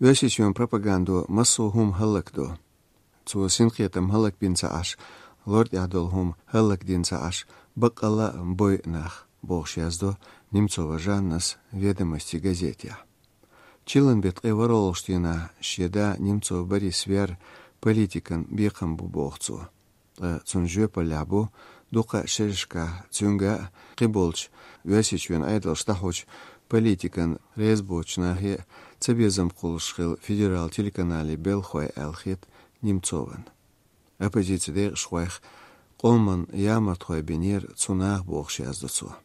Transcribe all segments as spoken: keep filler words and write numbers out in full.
Оьрсийчоьнан пропагандо массо а хӀума хӀаллакдо. Цо синкхетам хӀаллакбина ца Ӏаш, лор тӀехь долу хӀума хӀаллакдина ца Ӏаш, баккъалла а бойу нах, бохуш яздо Немцова Жаннас «Ведомости» газетехь. Чиллан беттан ткъе ворхӀалгӀачу дийнахь шен да Немцов Борис вер политикан бекхам бу боху цо. Ткъа цуьнан жоьпаллехь бу дукха шерашкахь цуьнга а, кхиболчу Оьрсийчоьнан Ӏедалша дӀахьочу политикан резабоцучу нахе а цабезам кхуллуш хилла федерал телеканале белхахой аьлла хета Немцован. Оппозицин декъашхойх къоман ямартхой бинера цу наха, бохуш яздо цо.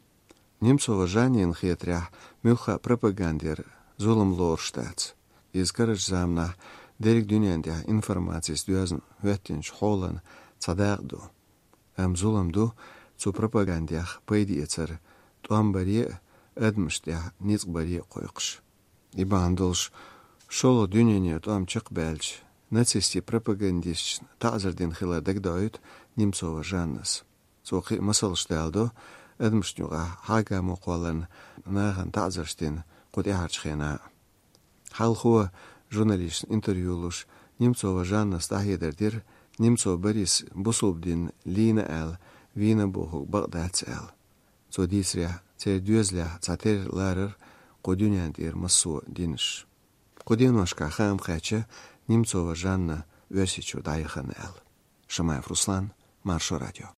Немцова Жаннина хетарехь, муьлхха а пропагандера зулам лоруш дац. Иза карарчу заманахь дерриг дуьнен тӀехь информацис доьзна хӀоьттинчу хьолан цхьа дакъа ду. Амма зулам ду цу пропагандех пайда эцар тӀом баре а, адамашна тӀехь ницкъ баре а кхойкхуш. И бахьана долуш, шолгӀа дуьненан тӀом чекхбаьлча, нацистийн пропагандисташна таӀзар дина хилар дагадоуьйту Немцова Жаннас. Цо кхин а масалш даладо адамашна юкъахь хьагӀ-гамо кхолларна нахана таӀзарш дина кху тӀаьхьарчу хенахь а. Хьалхо, журналисташна интервью луш, Немцова Жаннас дӀахьедар дира Немцов Борис бусалба дин лийна аьлла, вийна бохург бакъ дац аьлла. Цо дийцарехь, церан доьзалехь цхьатерра ларара кху дуьнен тӀера массо а динаш. Кху деношкахь хаам кхаьчна Немцова Жанна Оьрсийчуьра дӀаяхана аьлла. Шамаев Руслан, Маршо радио.